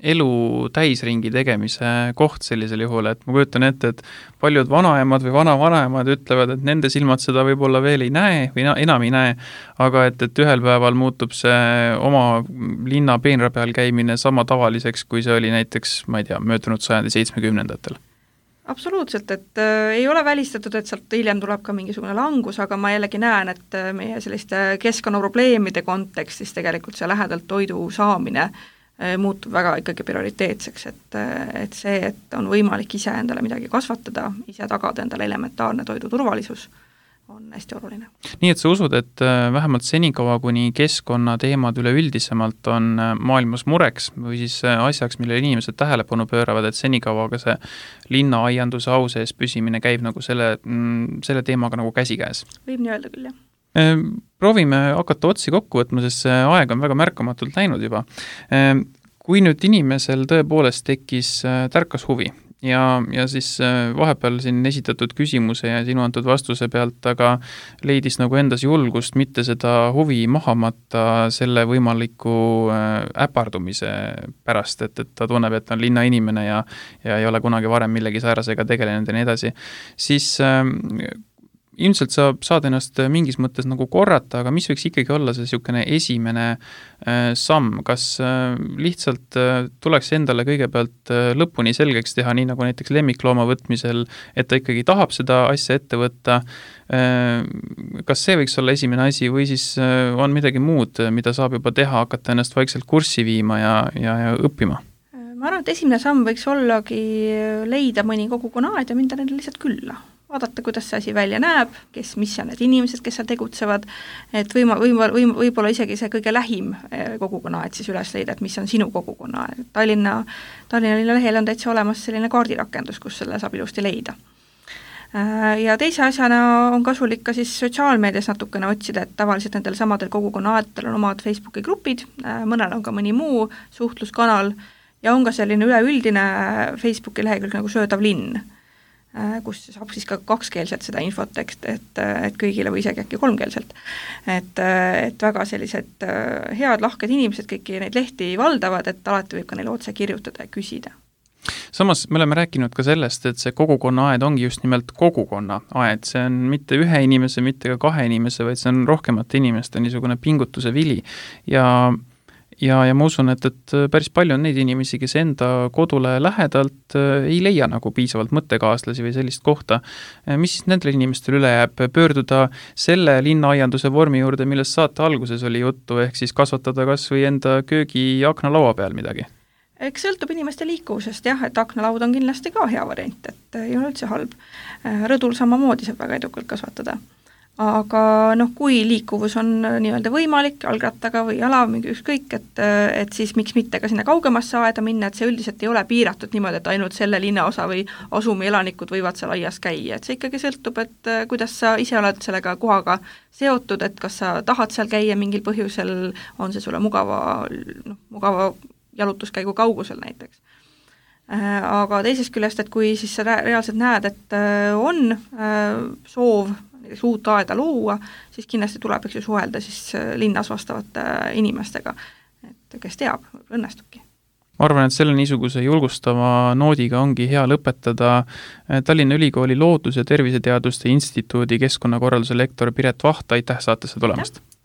B: elu täisringi tegemise koht sellisel juhul, et ma kujutan ette, et paljud vanaemad või vana-vanaemad ütlevad, et nende silmad seda võib-olla veel ei näe või enam ei näe, aga et, et ühel päeval muutub see oma linna peenra peal käimine sama tavaliseks, kui see oli näiteks, ma ei tea, möödunud sajandi seitsmekümnendatel.
C: Absoluutselt, et äh, ei ole välistatud, et sealt hiljem tuleb ka mingisugune langus, aga ma jällegi näen, et äh, meie selliste keskkonnaprobleemide kontekstis tegelikult see lähedalt toidu saamine äh, muutub väga ikkagi prioriteetseks, et, äh, et see, et on võimalik ise endale midagi kasvatada, ise tagada endale elementaarne toidu turvalisus, on hästi oluline.
B: Nii et sa usud, et vähemalt senikaua, kuni keskkonnateemad üleüldisemalt on maailmas mureks või siis asjaks, mille inimesed tähelepanu pööravad, et senikaua ka see linnaaianduse au sees püsimine käib nagu selle, selle teemaga nagu käsikäes?
C: Võib nii öelda küll, jah.
B: Proovime hakata otsi kokku võtma, sest see aeg on väga märkamatult läinud juba. Kui nüüd inimesel tõepoolest tekkis tärkas huvi, Ja, ja siis vahepeal siin esitatud küsimuse ja sinu antud vastuse pealt, aga leidis nagu endas julgust mitte seda huvi mahamata selle võimaliku äpardumise pärast, et, et ta tunneb, et on linnainimene ja, ja ei ole kunagi varem millegi säärasega tegelenud ja nii edasi, siis äh, ilmselt sa saad ennast mingis mõttes nagu korrata, aga mis võiks ikkagi olla see niisugune esimene äh, samm, kas äh, lihtsalt äh, tuleks endale kõigepealt äh, lõpuni selgeks teha, nii nagu näiteks lemmiklooma võtmisel, et ta ikkagi tahab seda asja ette võtta, äh, kas see võiks olla esimene asi või siis äh, on midagi muud, mida saab juba teha, hakata ennast vaikselt kurssi viima ja, ja, ja õppima?
C: Ma arvan, et esimene samm võiks ollagi leida mõni kogukonaaed ja minda neile lihtsalt külla. vaadata, kuidas see asi välja näeb, kes, mis on need inimesed, kes seal tegutsevad, et võima, võima, võima, võib-olla isegi see kõige lähim kogukonna aed siis üles leida, et mis on sinu kogukonna aed. Tallinna, Tallinna linna lehel on täitsa olemas selline kaardirakendus, kus selle saab ilusti leida. Ja teise asjana on kasulik ka siis sotsiaalmeedias natukene otsida, et tavaliselt nendel samadel kogukonna aetel on omad Facebooki grupid, mõnel on ka mõni muu suhtluskanal ja on ka selline üleüldine Facebooki lehekülg nagu Söödav linn, kus saab siis ka kakskeelselt seda infot, et, et, et kõigile või isegi äkki kolmkeelselt. Et, et väga sellised head, lahked inimesed kõiki neid lehti valdavad, et alati võib ka neile otse kirjutada ja küsida.
B: Samas me oleme rääkinud ka sellest, et see kogukonna aed ongi just nimelt kogukonna aed, see on mitte ühe inimese, mitte ka kahe inimese, vaid see on rohkemate inimeste niisugune pingutuse vili ja ja, ja ma usun, et, et päris palju on neid inimesi, kes enda kodule lähedalt ei leia nagu piisavalt mõttekaaslasi või sellist kohta. Mis siis nendele inimestele üle jääb? Pöörduda selle linnaaianduse vormi juurde, millest saate alguses oli juttu, ehk siis kasvatada kas või enda köögi akna laua peal midagi?
C: Eks sõltub inimeste liikuvusest, jah, et aknalaud on kindlasti ka hea variant, et ei ole üldse halb. Rõdul samamoodi saab väga edukalt kasvatada. Aga noh, kui liikuvus on nii-öelda võimalik, jalgrattaga või jala, mingi ükskõik, et, et siis miks mitte ka sinna kaugemasse aeda minna, et see üldiselt ei ole piiratud niimoodi, et ainult selle linnaosa või asumi elanikud võivad seal aias käia, et see ikkagi sõltub, et kuidas sa ise oled sellega kohaga seotud, et kas sa tahad seal käia mingil põhjusel, on see sulle mugava, noh, mugava jalutuskäigu kaugusel näiteks. Aga teisest küljest, et kui siis sa reaalselt näed, et on soov näiteks uut aeda luua, siis kindlasti tuleb eks ju suhelda siis linnas vastavate inimestega, et kes teab, õnnestubki.
B: Ma arvan, et selle niisuguse julgustava noodiga ongi hea lõpetada. Tallinna Ülikooli Loodus- ja Terviseteaduste Instituudi keskkonnakorralduse lektor Piret Vaht, aitäh saatesse tulemast!